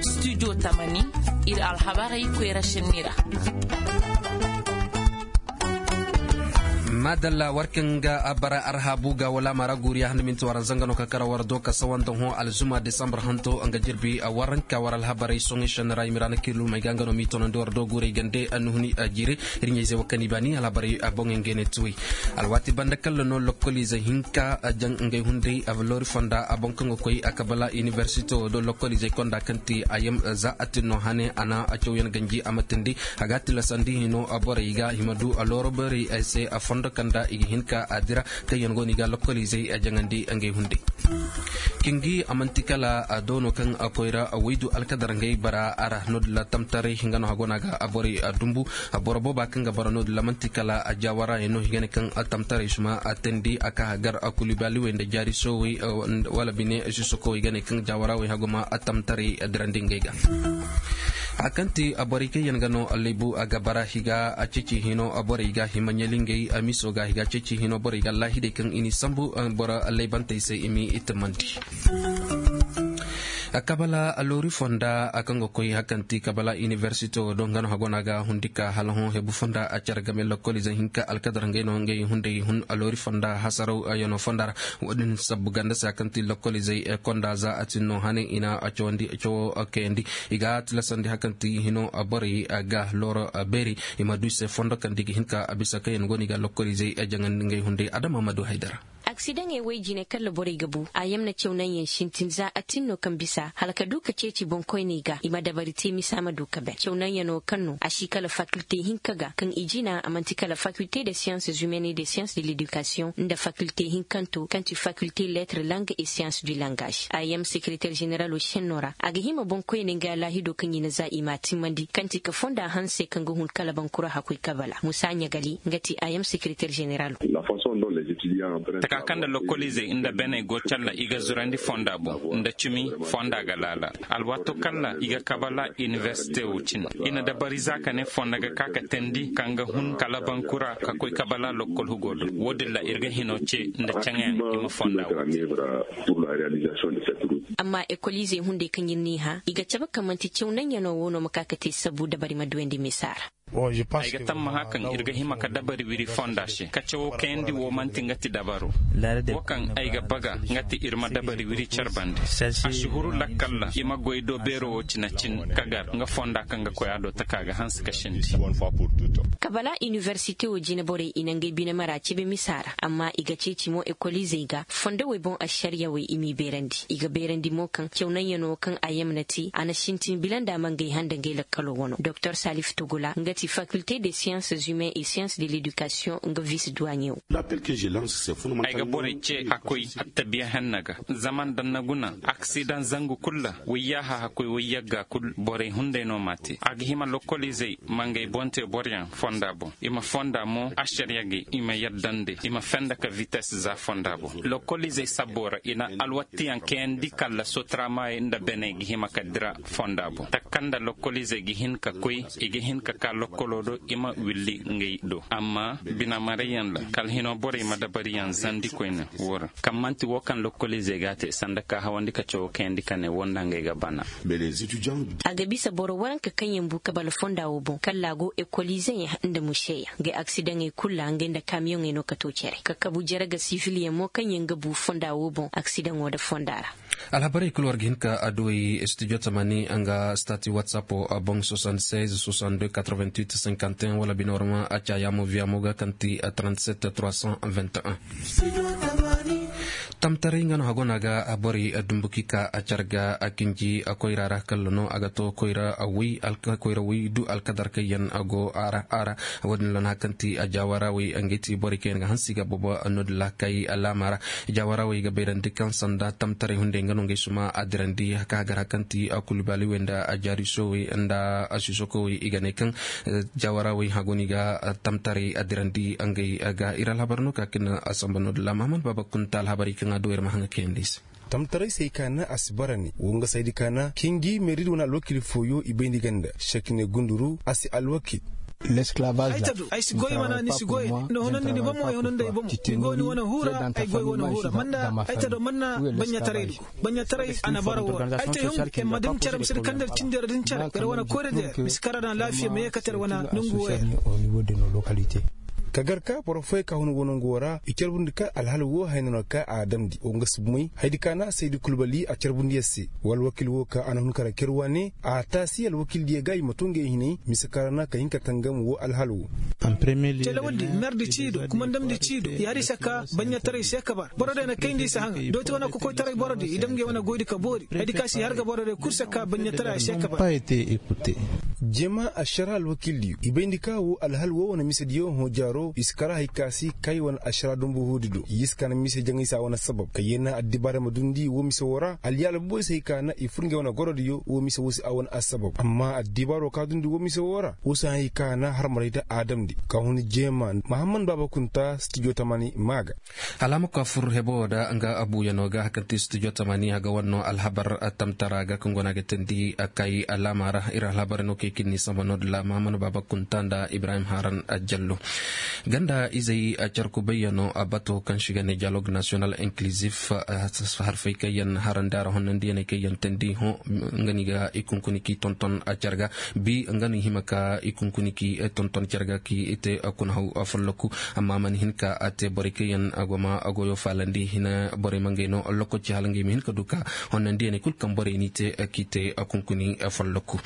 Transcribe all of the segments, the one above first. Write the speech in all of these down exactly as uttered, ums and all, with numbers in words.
Studio tamani, ir alhabarey koyra šenni ra. Madalla, war kaŋ ga a bara arhabu ga wala mara guriya handa minti waranza nga no ka kara war do ka sawa nda hõ alzuma desambar hanto nga jirbi a waranka war alhabarey soŋey šenni ra i ma ra na kiilumey ga nga no m'i tonandi war do guurey gande annuhuni a jiire. Ir ɲayzey wo kaŋ i baani alhabarey a boŋey ngey ne tuwey. Alwaati banda kalla no lokkoliizey hinka a jaŋ ngey hunday a loori fonda a boŋ kaŋ ga koy a kabala inibersite wo do lokkoliizey konda kaŋ ti a yam za a tin no hane a na a cawyaŋ ganji a ma tindi. A ga a tilasandi hino a borey ga hima du a looro borey se a fondo kaŋ da i ga hin ka a dira kaŋ yaŋ go no i ga lokkoliizey a jaŋandi ngey hunday. Kingi a manti kala a doono kaŋ a koyra a waydu alkadar ngey bara a ra no- din ra tamtaray hinga no hago no a ga a borey a dumbu. A boro booba kaŋ ga bara no- din ra manti kala a jaawara yaŋ no hinga ne kaŋ a tamtaray suma a tandi a ka hagar a kulibaliwey nda jaari soowey wala bine sisokowey ga ne kaŋ jaawarawey hago ma a tamtaray a dirandi ngey ga. A kaŋ ti a borey kaŋ yaŋ ga no a laybu a ga bara higa a ceeci hino a borey ga hima ɲali ngey a miso ga higa ceeci hino borey ga allahidey kaŋ i n'i sambu boro laybantey se i m'i itimandi. Kabala loori fonda a kaŋ ga koy hakanti kabala inibersite wo do nga no hago no a ga hundi ka hala hõ hebu fonda a care game lokkoliizey hinka alkadar ngey no ngey hunday hun loori fonda hasaraw yaŋo fonda ra. Wo- din sabbu ganda se hakanti lokkoliizey konda za a tin no hane i na a cawandi cawo kayandi. I ga tilasandi hakanti hino borey ga looro beeri i ma du i se fondo kaŋ da i ga hin ka a bisa kaŋ yaŋ go no i ga lokkoliizey jaŋandi ngey hunday adama ma du haydara. Aksidaŋey woy jine kala borey ga bu a yamna cawnanyaŋ sintin za a tin no kaŋ bisa hala ka du ka ceeci boŋkoyney ga i ma dabari te misa ma du ka ben cawnanyaŋo kaŋ no a si kala fakilte hinka ga kaŋ i jina a man'ti kala fakilte de sciences humaines et de sciences de l'éducation nda fakilte hinkanto kaŋ ti fakilte lettre langue et sciences du langage a yam sekereter ženeralo senno ra a ga hima boŋkoyney nga laahido kaŋ i na za i m'a timmandi kaŋ ti ka fonda hanse kaŋ ga hun kala bankura hakoy kabala musa ɲagali nga ti a yam sekereter ženeralo. Taka kaŋ nda lokkoliizey nda beney go calla i ga zurandi fonda boŋ nda cimi fonda ga laala alwaato kaŋ ra i ga kabala inibersite wo cine i na dabari za ka ne fonda ga ka ka teendi kaŋ ga hun kala bankura ka koy kabala lokkol hugo do wo- din ra ir ga hino ce nda caŋayaŋ i ma fonda wo. Amma ekoliizey hunday kaŋ ir n'i hã i ga cabe kaŋ man'ti caw naŋ yaŋo wo no ma ka ka te sabu dabari ma duwandi misa ra. Ay ga tammaha kaŋ ir ga hima ka dabari wiri fonda se ka cawo kayandi wo man'ti nga ti dabaro. Wo kaŋ ay ga baga nga ti ir ma dabari wiri care bande a si huru lakkal ra i ma goy do beero wo cine cin ka gar nga fonda kaŋ ga koy a do taka ga hanse ka sindi. Kabala inibersite wo jine borey i na ngey bine mara cebe misa ra amma i ga ceeci mo ekoliizey ga fondowey boŋ ašariyawey i m'i beerandi i ga beerandi mo kaŋ caw naŋ yaŋo kaŋ a yamna te a na sintin bila nda a ma ngey hã nda ngey lakkalo wano doktor salif togula nga ti fakilte de siyanse humain et siyanse de ledikasiyoŋ nga vis duwaɲewo. Ay ga borey ce hakkoy attabiya henna ga zama nda na guna aksidaŋ zangu kul ra wayyaaha hakkoy wayyagga kul borey hunday no m'a te a ga hima lokkoliizey ma ngey boŋ te boroyaŋ fonda boŋ i ma fonda mo ašariya ga i ma yadda nda i ma fenda ka vites za fonda boŋ lokkoliizey sabbo ra i na alwattiyaŋ kayandi kalla sotaramaayey nda beney ga hima ka dira fonda boŋ taka nda lokkoliizey ga hin ka koy i ga hin ka ka lokkolo do i ma willi ngey do amma binamarayyaŋ ra kala hino borey ma dabariyaŋ zandi koyne wo ra kaŋ man'ti wo kaŋ lokkoliizey g'a te sanda ka hawandi ka cawo kayandi ka ne wo nda ngey ga bana. A ga bisa boro waranka kaŋ yaŋ bu kabala fonda wo boŋ kalla a go ekoliizeyaŋ nda museyaŋ ngey aksidaŋey kul ra ngey nda kamiyoŋey no ka to cere ka kabu jere ga siviliyaŋ mo kaŋ yaŋ ga bu fonda wo boŋ aksidaŋo nda fonda ra. Alhabarey kul war ga hin ka adduwey studio tamani nga stati whatsapp boŋ soixante-seize soixante-deux quatre-vingt-huit cinquante et un wala bine war ma a caayaamo viyaamo ga kaŋ ti trente-sept trois cent vingt et un. Tamtaray nga no hago no a ga borey dumbuki ka a care ga a kinji koyra ra kalla no a ga to koyra way koyra way du alkadar kaŋ yaŋ go a ra a ra. Wo- din ra no hari kaŋ ti a jaawarawey ngey ti borey kaŋ yaŋ ga hanse i ga boobo no- din ra kay alaama ra. Jaawarawey ga bayrandi kaŋ sanda tamtaray hunday nga no ngey suma a dirandi ka hagar hari kaŋ ti a kulbaaliwey nda a jaari soowey nda a sisokowey i ga ne kaŋ jaawarawey hago no i ga tamtaray a dirandi ngey ga ir alhabar no ka kaŋ a samba no- din ra mahamad baaba kunta alhabarey kaŋ a du ir ma haŋa kayandi i se. Tamtaray se i kaana a si bara ne wo nga saydi kaana kingi meeridi wane alwakil fooyo i bayndi ganda sekine gunduru a si alwakil. Ay ta do ay si goy mana ni si goy nda hunandi ni bomo ay hunandi ay bomo ni go ni wane hura ay goy wane hura manda ay ta do manna baɲataray du. Baɲataray a na bara woo ra ay ta hun ay ma dam cere misir kandar cindi ra din cere gar wane koyra da yer misir kara na laafiya ma yeekate ra wane nongu woo ya. Ka gar ka boro fooyey ka hun woo nongu woo ra i carbundi ka alhal woo hayna no ka a damndi woo nga si bumey haydi ka na saydi kulbali a carbundi yer se. Wala wakiil woo ka a na hun kara ker wane a taasi alwakiildiyo ga i ma too ngey hinay mise ka ra na ka hin ka tangam woo alhal woo. Telewaldi merdi ciido kumandamdi ciido yaadi se ka baɲataray se ka bara borodiyo na kayndi i si haŋa dooti wane kokoytaray borodiyo i dam ngey wane goydi ka boori haydi ka si har ga borodiyo kul se ka baɲataray a se ka bara. Jema ašara alwakiildiyo i bayndi ka woo alhal woo wane misediyo hõ jaaro i si kara hay ka si kay wane ašara dumbu huudi do i si ka na mise jaŋay se a wane assabab ka yee na addibaarey ma dundi woo mise woo ra alyaala boboy si hay ka na i fur ngey wane gorodiyo woo mise woo se a wane assabab amma addibaaroo ka dundi woo mise woo ra woo si hay ka na harmarayda a damndi ka hun jeema mahamman baaba kunta stijo tamani maa ga. Hala a ma koy a fur hebo woo da nga abuuyanoo ga hakante studio tamani a ga war no alhabar tamtara ga kaŋ go no a ga teendi kay alaama ra ir alhabar no kay kaŋ ni samba no da laama mana baaba kunta nda ibrahim haran jallo. Ganda izey carku bayyano a bato kaŋ si ga ne dialogue national inclusif harfey kaŋ yaŋ harandi a ra honnandiyaney kaŋ yaŋ teendi hõ nga no i ga i kunkuni k'i tonton a car ga bi nga no i hima ka i kunkuni k'i tonton car ga k'i te kuna haw folloku. Amma a mana hin ka a te borey kaŋ yaŋ a go ma a goyo faalandi hina borey ma ngey no lokoci hala ngey ma hin ka du ka honnandiyaney kul kaŋ borey n'i te k'i te kunkuni folloku.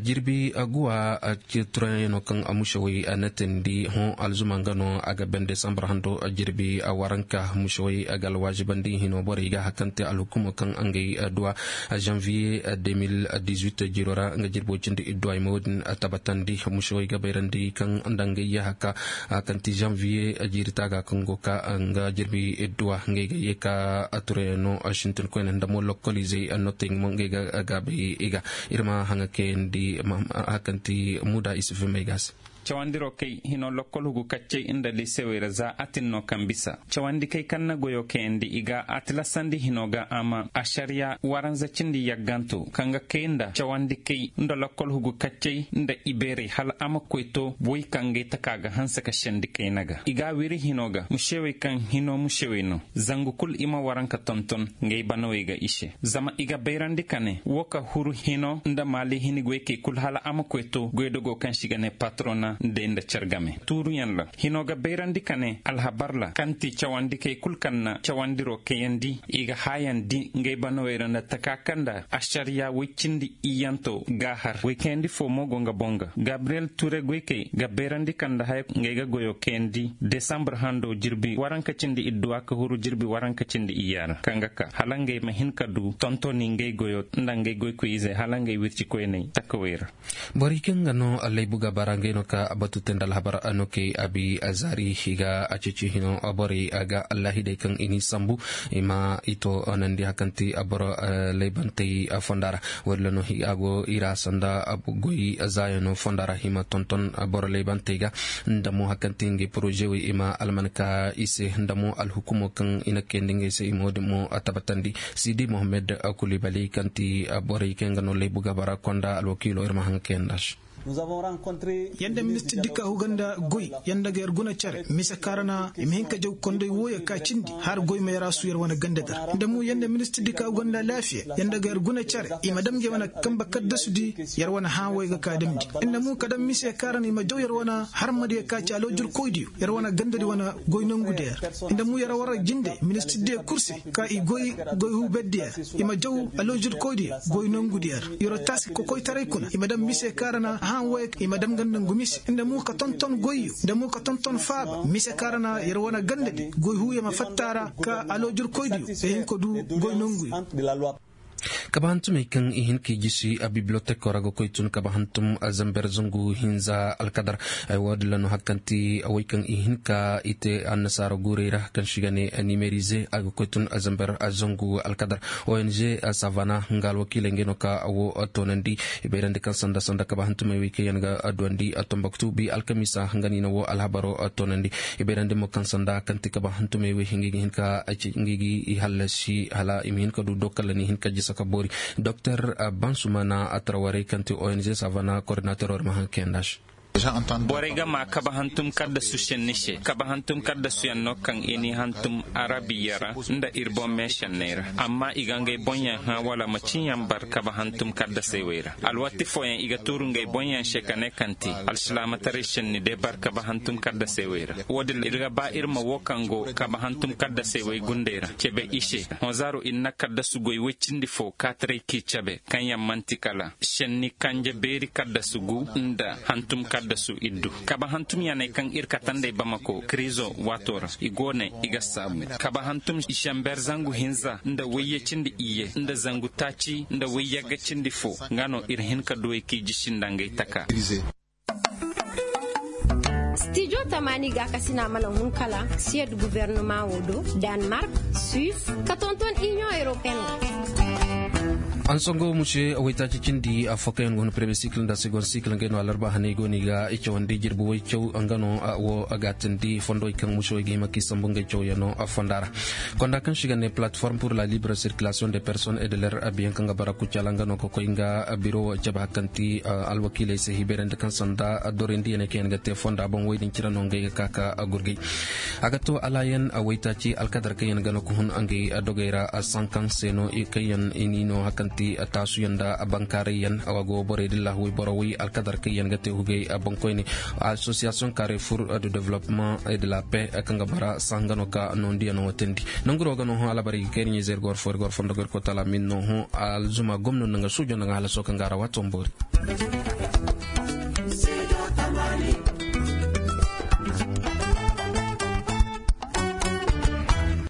Jirbi guwa turayaŋo kaŋ a musewey a na teendi hõ alzuma nga no a ga ben desambar hando jirbi waranka musewey a ga alwaazibandi hino borey ga hakante alhukumo kaŋ a ngey duwa janviye deux mille dix-huit jiro ra nga jirbo cindi idduwa i ma wo-din tabatandi musewey ga bayrandi kaŋ nda ngey yahaka a kaŋ ti janviye jiiri taaga kaŋ go ka nga jirbi idduwa ngey ga ye ka turayano sintin koyne nda mo lokoliizey notey mo ngey ga gaabay i ga ir ma haŋa kayandi a kaŋ ti muda isufimey ga se. Cawandiroo kay hinoo lokkol hugu kaccay nda lisewey ra za a tin no kaŋ bisa cawandi kay kaŋ na goyoo kayandi i ga a tilasandi hinoo ga a ma ašariya waranza cindi yaggantoo kaŋ ga kay nda cawandi kay nda lokkol hugu kaccay nda ibeerey hala a ma koy too boy kaŋ gay taka ga hanse ka sendi kayna ga i ga a wiri hinoo ga musewey kaŋ hinoo musewey no zangu kul i ma waranka tonton. Ngey banawey ga i se zama i ga bayrandi ka ne woo ka huru hinoo nda maali hini goykey kul hala a ma koy too goydogoo kaŋ se i ga ne patrona ndey nda car game tuuruyaŋ ra hinoo ga bayrandi ka ne alhabar ra kaŋ ti cawandikey kul kaŋ na cawandiroo kayandi i ga haayandi ngey banawey ra nda taka kaŋ nda ašariya woy cindi iyyantoo ga a har woy kayandi foo mo go nga boŋ ga gabriyel ture goykey ga bayrandi kaŋ nda haya ngey ga goyoo kayandi desambar handoo jirbi waranka cindi idduwa ka huru jirbi waranka cindi iyya ra kaŋ ga ka hala ngey ma hin ka du tontoni ngey goyoo nda ngey goykoy-izey hala ngey wircikoyney takawey ra. Borey kaŋ ga no allaybu ga bara ngey no ka batu te nda alhabar no kay abi zaari i ga a ceeci hino borey ga allahidey kaŋ i n'i sambu i ma i to nandi hakaŋ ti boro laybantey fonda ra. Walla no a go i ra sanda goy zaayano fonda ra i ma tonton boro laybantey ga nda mo hakaŋ ti ngey porozewey i ma almanka i se nda mo alhukumo kaŋ i na kayandi ngey se i ma wo-din mo tabatandi. Sidi mohammed kulibali kaŋ ti borey kaŋ ga no laybu ga bara konda alwakiilo ir ma haŋ kayandi a se. Yanda ministir dikka huga nda goy yanda ga yar guna care mise kaŋ ra na i ma hin ka jaw konday wooyo ka cindi har goy ma yar a su yar wane ganda dar nda mu yanda ministir dikka huga nda alaafiya yanda ga yar guna care i ma dam ngey wane kamba kaddasudi. Yar wane hãa wey ga ka damndi nda mu ka dam mise kaŋ ra na i ma jaw yar wane harmadiyo ka ci aloojirkoydiyo yar wane gandadi wane goy nongudiyo yar nda mu yar war jinde ministirdiyo kul se ka i goy goy huu berdiyo yar i ma jaw aloojirkoydiyo goy nongudiyo yar. Yar taasi kokoytaray kuna i ma daŋ mise kaŋ ra na hãa wey i ma daŋ nga nda ngu mise nda mo ka tonton goyyo nda mo ka tonton faaba mise kaŋ ra na yar wane gandadi goy huuyo ma fatta a ra ka aloojirkoydiyo ay hin ka du goy nonguyo. Kaba hantumey kaŋ i hin ka i jisi a bibliyoteko ra ga koy tun kaba hantum zamber zangu hinza alkadar. Ay wo- din ra no hari kaŋ ti wey kaŋ i hin ka i te annasaara guurey ra kaŋ se i ga ne nimerize a ga koy tun zamber zangu alkadar. Ong savana nga alwakiiley ngey no ka wo toonandi. I bayrandi kaŋ sanda sanda kaba hantumey wey kaŋ yaŋ ga duwandi tomboktu bi alkamiisa nga no i na wo alhabaro toonandi. I bayrandi mo kaŋ sanda kaŋ ti kaba hantumey wey ngey ga hin ka ngey ga i hallasi hala i ma hin ka du dokalla ni hin ka jisa ka boori. Doktor bansumana a tarawarey kaŋ ti ong savana koordinateroo ir ma haŋ kayandi a se. Borey ga maa kabe hantum kaddasu šenni se. Kabe hantum kaddasuyaŋ no kaŋ i n'i hantum arabiya ra nda ir boŋ meešenney ra. Amma i ga ngey boŋyaŋ hã wala ma ciiyaŋ bar kabe hantum kaddasey wey ra. Alwatti fooyaŋ i ga tuuru ngey boŋyaŋ se ka ne kaŋ te alsilaamataray šenni day bar kabe hantum kaddasey wey ra. Wo-din ir ga ba ir ma wo kaŋ go kabe hantum kaddasey wey gundey ra cebe i se. Honzaaro ir na kaddasu goy woy cindi fo kaataray k'i cabe kaŋ yaŋ man'ti kala šenni kanje beeri kaddasu gu nda hantum kaddasu iddu. Kabe hantum yaŋey kaŋ ir kate nd'ey bamako kiriizo waato ra i go ne i ga saabu kabe hantum žember zangu hinza nda wayye cindi iyye nda zangu taaci nda wayyagga cindi fo. Nga no ir hin ka duwey k'i jisi nda ngey taka. Stijo tamaani gaakasina mana hun kala siyed guwernama wo do, danmark, suis, ka tonton iniyoŋ europeen wo. Ansongo muse waytaaci cindi afo kaŋ yaŋ go hun premier sikil nda second sikil ngey no alarba hanay go no i ga i cawandi jirbi waycaw nga no wo a gaatandi fondowey kaŋ muse wey ga hima k'i sambu ngey cawyaŋo fonda ra. Konda kaŋ se i ga ne plateforme pour la libre circulation de personnes et de leur abiyaŋ kaŋ ga bara kucala nga no ka koy nga biro cabe hakanti alwakiiley se hiberandi kaŋ sanda dorindiyaney kaŋ yaŋ ga te fonda boŋ wey din cire no ngey ga ka ka gurgay. A ga to alaayan waytaaci alkadar kaŋ yaŋ ga no ka hun ngey dogey ra sankaŋ se no kaŋ yaŋ i n'i no hakanti taasuyaŋ nda bankaarayyaŋ a go borey din lahuwey boro wey alkadar kaŋ yaŋ ga te hugey boŋkoyne. Association carrefour de développement et de la paix kaŋ ga bara sanga no ka nondiyaŋo watandi. Nanguro ga no hõ alabari ga kayri ɲizer gor fo ir gor fondo gor kotala min no hõ alzuma gomno nanga sujo nanga halaso kaŋ ga ra wato mbori.